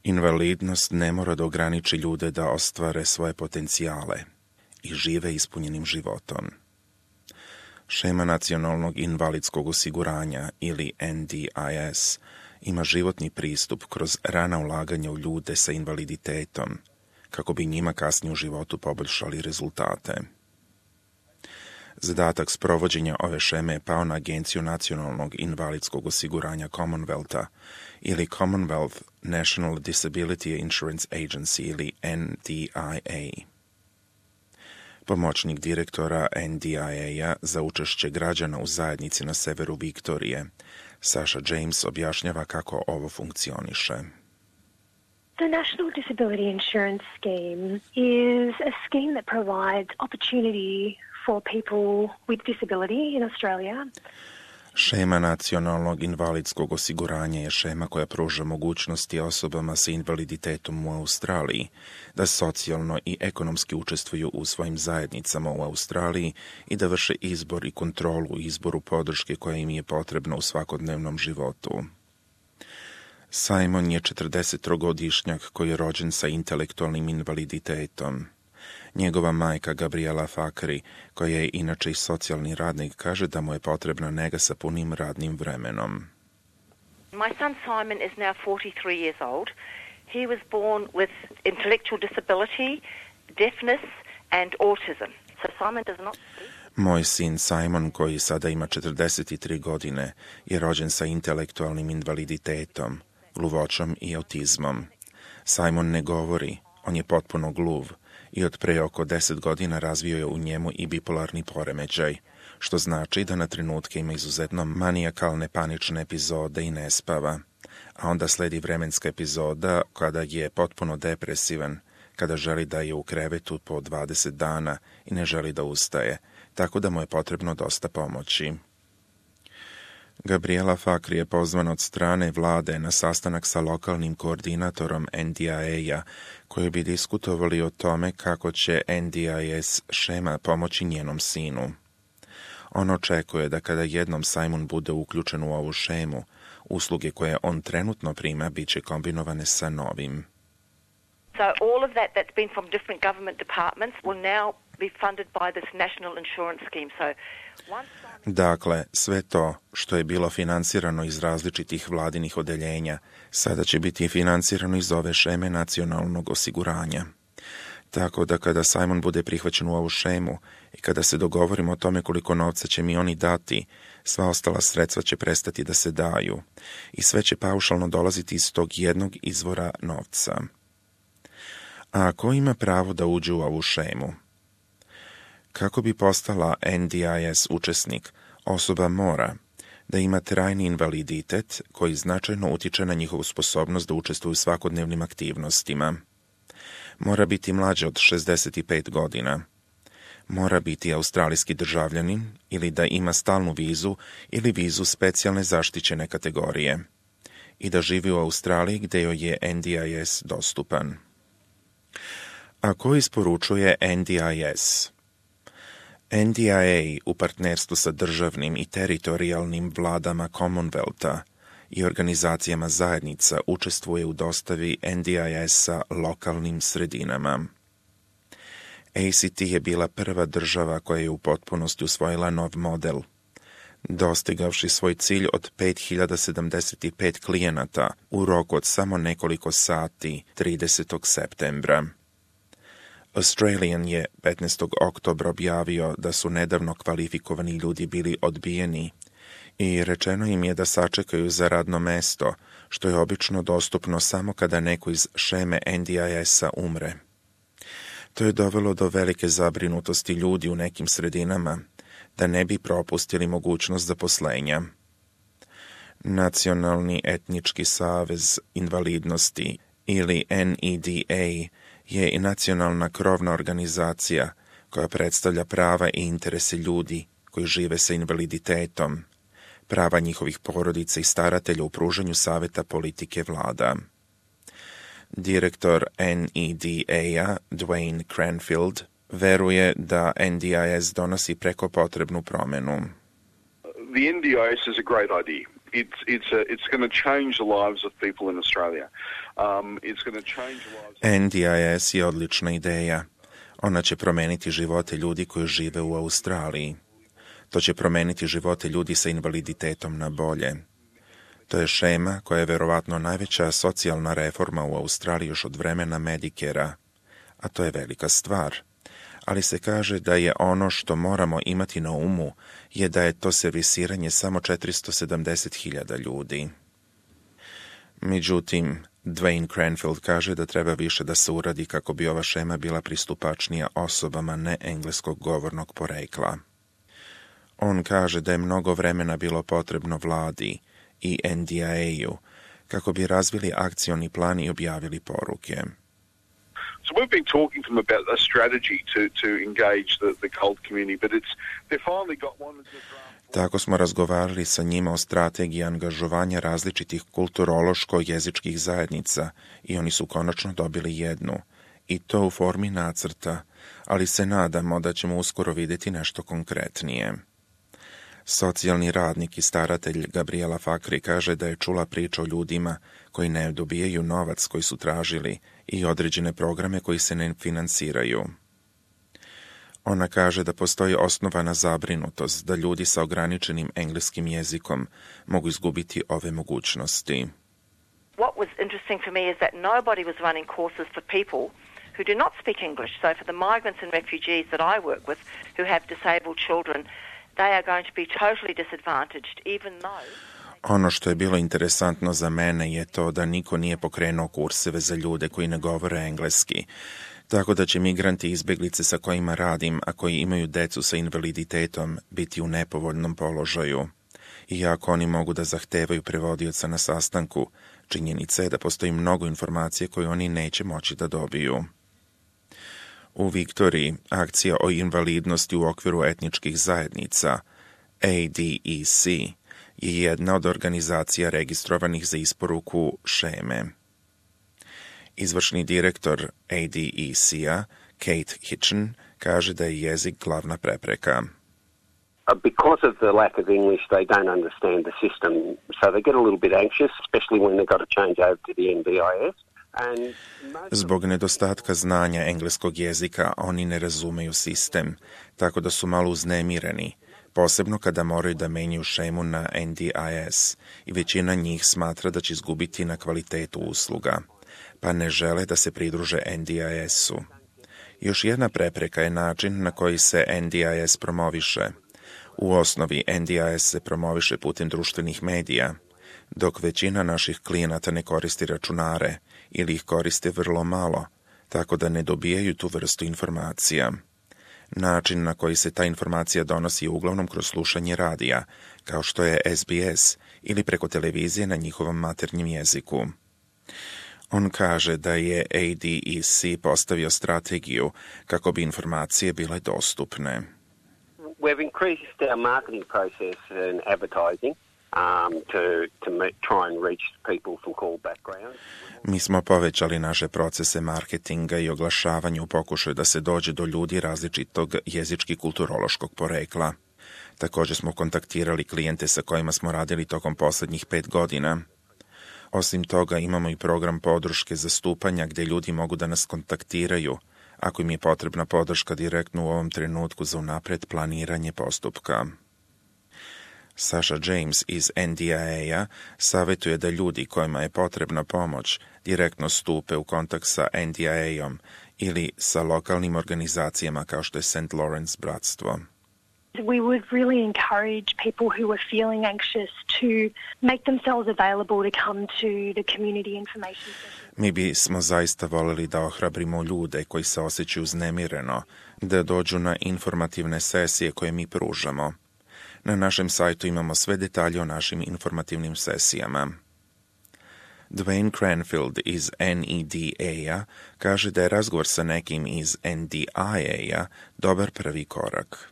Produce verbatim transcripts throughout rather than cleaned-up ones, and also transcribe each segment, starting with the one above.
Invalidnost ne mora da ograniči ljude da ostvare svoje potencijale i žive ispunjenim životom. Šema nacionalnog invalidskog osiguranja ili N D I S ima životni pristup kroz rana ulaganja u ljude sa invaliditetom, kako bi njima kasnije u životu poboljšali rezultate. Zadatak sprovođenja ove šeme je pao na Agenciju nacionalnog invalidskog osiguranja Commonwealtha ili Commonwealth National Disability Insurance Agency ili N D I A. Pomoćnik direktora N D I A za učešće građana u zajednici na severu Viktorije, Sasha James, objašnjava kako ovo funkcioniše. The National Disability Insurance Scheme is a scheme that provides opportunity for people with disability in Australia. Šema nacionalnog invalidskog osiguranja je šema koja pruža mogućnosti osobama sa invaliditetom u Australiji da socijalno i ekonomski učestvuju u svojim zajednicama u Australiji i da vrše izbor i kontrolu u izboru podrške koja im je potrebna u svakodnevnom životu. Simon je četrdesettrogodišnjak koji je rođen sa intelektualnim invaliditetom. Njegova majka Gabriela Fakri, koja je inače i socijalni radnik, kaže da mu je potrebna nega sa punim radnim vremenom. My son Simon is now forty-three years old. He was born with intellectual disability, deafness and autism. So Simon does not speak. Moj sin Simon, koji sada ima četrdeset tri godine, je rođen sa intelektualnim invaliditetom, gluvoćom i autizmom. Simon ne govori, on je potpuno gluv i od pre oko deset godina razvio je u njemu i bipolarni poremećaj, što znači da na trenutke ima izuzetno manijakalne panične epizode i ne spava, a onda sledi vremenska epizoda kada je potpuno depresivan, kada želi da je u krevetu po dvadeset dana i ne želi da ustaje, tako da mu je potrebno dosta pomoći. Gabriela Fakri je pozvana od strane vlade na sastanak sa lokalnim koordinatorom N D I A koji bi diskutovali o tome kako će N D I S šema pomoći njenom sinu. On očekuje da kada jednom Simon bude uključen u ovu šemu, usluge koje on trenutno prima bit će kombinovane sa novim. So all of that that's been from different government departments will now be funded by this national insurance scheme. So once Dakle, sve to što je bilo finansirano iz različitih vladinih odeljenja, sada će biti finansirano iz ove šeme nacionalnog osiguranja. Tako da kada Simon bude prihvaćen u ovu šemu i kada se dogovorimo o tome koliko novca će mi oni dati, sva ostala sredstva će prestati da se daju i sve će paušalno dolaziti iz tog jednog izvora novca. A ko ima pravo da uđe u ovu šemu? Kako bi postala N D I S učesnik, osoba mora da ima trajni invaliditet koji značajno utiče na njihovu sposobnost da učestvuju u svakodnevnim aktivnostima. Mora biti mlađa od šezdeset pet godina. Mora biti australijski državljanin ili da ima stalnu vizu ili vizu specijalne zaštićene kategorije i da živi u Australiji gdje joj je N D I S dostupan. A ko isporučuje N D I S? N D I A u partnerstvu sa državnim i teritorijalnim vladama Commonwealtha i organizacijama zajednica učestvuje u dostavi N D I S-a lokalnim sredinama. A C T je bila prva država koja je u potpunosti usvojila nov model, dostigavši svoj cilj od pet hiljada sedamdeset pet klijenata u roku od samo nekoliko sati tridesetog septembra. Australian je petnaestog oktobra objavio da su nedavno kvalifikovani ljudi bili odbijeni i rečeno im je da sačekaju za radno mesto, što je obično dostupno samo kada neko iz šeme N D I S-a umre. To je dovelo do velike zabrinutosti ljudi u nekim sredinama, da ne bi propustili mogućnost zaposlenja. Nacionalni etnički savez invalidnosti ili N E D A je i nacionalna krovna organizacija koja predstavlja prava i interese ljudi koji žive sa invaliditetom, prava njihovih porodica i staratelja u pružanju saveta politike vlada. Direktor N E D A-a, Dwayne Cranfield, veruje da N D I S donosi preko potrebnu promenu. The N D I S is a great idea. It's it's a, it's going to change the lives of people in Australia. Um, it's going to change the lives. N D I S je odlična ideja. Ona će promeniti živote ljudi koji žive u Australiji. To će promeniti živote ljudi sa invaliditetom na bolje. To je šema koja je verovatno najveća socijalna reforma u Australiji još od vremena Medicare-a, a to je velika stvar. Ali se kaže da je ono što moramo imati na umu je da je to servisiranje samo četiristo sedamdeset hiljada ljudi. Međutim, Dwayne Cranfield kaže da treba više da se uradi kako bi ova šema bila pristupačnija osobama neengleskog govornog porekla. On kaže da je mnogo vremena bilo potrebno vladi i N D I A-u kako bi razvili akcioni plan i objavili poruke. So we've been talking to them about a strategy to, to engage the, the cult community, but it's they finally got one of the draft. Tako smo razgovarali sa njima o strategiji angažovanja različitih kulturološko-jezičkih zajednica i oni su konačno dobili jednu, i to u formi nacrta, ali se nadamo da ćemo uskoro vidjeti nešto konkretnije. Socijalni radnik i staratelj Gabriela Fakri kaže da je čula priču o ljudima koji ne dobijaju novac koji su tražili i određene programe koji se ne finansiraju. Ona kaže da postoji osnovana zabrinutost da ljudi sa ograničenim engleskim jezikom mogu izgubiti ove mogućnosti. What was interesting for me is that nobody was running courses for people who do not speak English. So for the migrants and refugees that I work with who have disabled children, they are going to be totally disadvantaged, even though... Ono što je bilo interesantno za mene je to da niko nije pokrenuo kurseve za ljude koji ne govore engleski, tako da će migranti i izbeglice sa kojima radim, a koji imaju decu sa invaliditetom, biti u nepovoljnom položaju. Iako oni mogu da zahtevaju prevodioca na sastanku, činjenica je da postoji mnogo informacije koje oni neće moći da dobiju. U Viktoriji, akcija o invalidnosti u okviru etničkih zajednica, A D E C, je jedna od organizacija registrovanih za isporuku šeme. Izvršni direktor A D E C-a, Kate Hitchen, kaže da je jezik glavna prepreka. Because of the lack of English, they don't understand the system, so they get a little bit anxious, especially when they've got to change over to the N D I S. Zbog nedostatka znanja engleskog jezika, oni ne razumeju sistem, tako da su malo uznemireni, posebno kada moraju da menjaju šemu na N D I S, i većina njih smatra da će izgubiti na kvalitetu usluga, pa ne žele da se pridruže N D I S-u. Još jedna prepreka je način na koji se N D I S promoviše. U osnovi N D I S se promoviše putem društvenih medija, dok većina naših klijenata ne koristi računare ili ih koriste vrlo malo, tako da ne dobijaju tu vrstu informacija. Način na koji se ta informacija donosi je uglavnom kroz slušanje radija, kao što je S B S, ili preko televizije na njihovom maternjem jeziku. On kaže da je A D E C postavio strategiju kako bi informacije bile dostupne. We've increased our marketing process and advertising um, to, to try and reach people from all backgrounds. Mi smo povećali naše procese marketinga i oglašavanja u pokušaju da se dođe do ljudi različitog jezički kulturološkog porekla. Također smo kontaktirali klijente sa kojima smo radili tokom posljednjih pet godina. Osim toga imamo i program podrške zastupanja gdje ljudi mogu da nas kontaktiraju ako im je potrebna podrška direktno u ovom trenutku za unapred planiranje postupka. Sasha James iz N D I A-a savjetuje da ljudi kojima je potrebna pomoć direktno stupe u kontakt sa N D I A-om ili sa lokalnim organizacijama kao što je Saint Lawrence bratstvo. We would really encourage people who are feeling anxious to make themselves available to come to the community information session. Mi bismo zaista voleli da ohrabrimo ljude koji se osjećaju uznemireno, da dođu na informativne sesije koje mi pružamo. Na našem sajtu imamo sve detalje o našim informativnim sesijama. Dwayne Cranfield iz N E D A-a kaže da je razgovor sa nekim iz N D I A-a dobar prvi korak.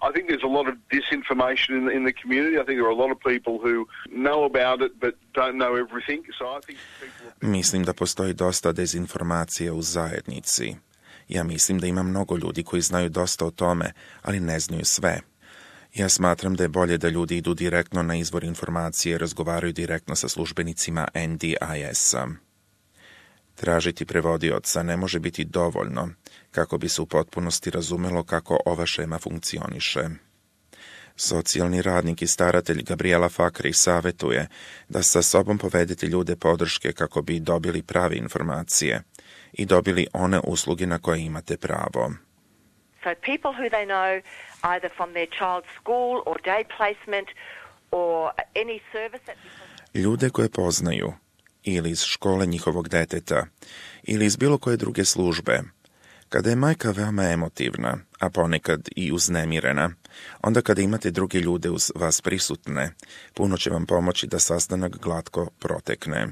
I think there's a lot of disinformation in the, in the community. I think there are a lot of people who know about it but don't know everything. So I think people... Mislim da postoji dosta dezinformacije u zajednici. Ja mislim da ima mnogo ljudi koji znaju dosta o tome, ali ne znaju sve. Ja smatram da je bolje da ljudi idu direktno na izvor informacije i razgovaraju direktno sa službenicima N D I S-a. Tražiti prevodioca ne može biti dovoljno kako bi se u potpunosti razumelo kako ova šema funkcioniše. Socijalni radnik i staratelj Gabriela Fakri savjetuje da sa sobom povedete ljude podrške kako bi dobili prave informacije i dobili one usluge na koje imate pravo. So people who they know either from their child's school or day placement or any service that... Ljude koje poznaju ili iz škole njihovog deteta ili iz bilo koje druge službe. Kada je majka veoma emotivna, a ponekad i uznemirena, onda kada imate druge ljude uz vas prisutne, puno će vam pomoći da sastanak glatko protekne.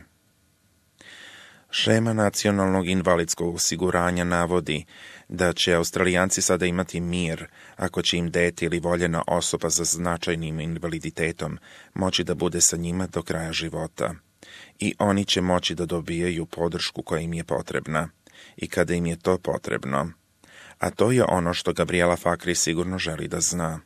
Šema nacionalnog invalidskog osiguranja navodi da će Australijanci sada imati mir ako će im dete ili voljena osoba sa značajnim invaliditetom moći da bude sa njima do kraja života. I oni će moći da dobijaju podršku koja im je potrebna i kada im je to potrebno. A to je ono što Gabriela Fakri sigurno želi da zna.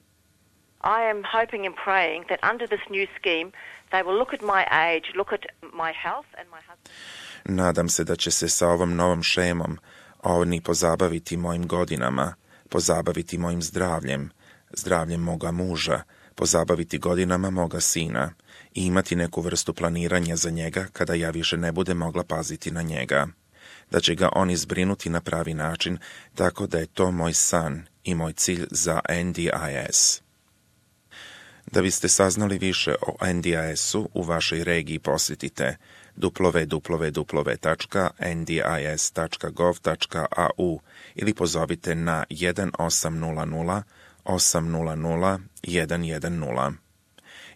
I am hoping and praying that under this new scheme they will look at my age, look at my health and my husband. Nadam se da će se sa ovom novom šemom oni pozabaviti mojim godinama, pozabaviti mojim zdravljem, zdravljem moga muža, pozabaviti godinama moga sina i imati neku vrstu planiranja za njega kada ja više ne budem mogla paziti na njega. Da će ga oni zbrinuti na pravi način, tako da je to moj san i moj cilj za N D I S. Da biste saznali više o N D I S-u u vašoj regiji posjetite w w w tačka n d i s tačka gov tačka a u ili pozovite na jedan osam nula nula osam nula nula jedan jedan nula.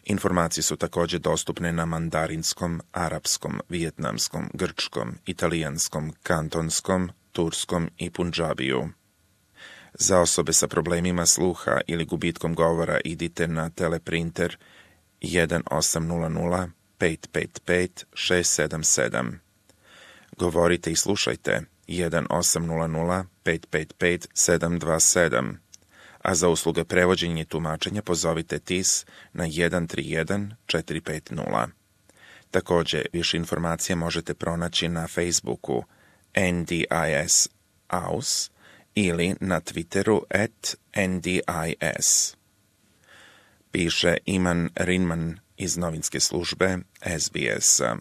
Informacije su također dostupne na mandarinskom, arapskom, vijetnamskom, grčkom, italijanskom, kantonskom, turskom i punđabiju. Za osobe sa problemima sluha ili gubitkom govora idite na teleprinter jedan osam nula nula pet pet pet šest sedam sedam. Govorite i slušajte jedan osam nula nula pet pet pet sedam dva sedam. A za usluge prevođenja i tumačenja pozovite T I S na jedan tri jedan četiri pet nula. Također, više informacija možete pronaći na Facebooku N D I S Aus ili na Twitteru at N D I S. Piše Iman Rinman iz novinske službe S B S-a.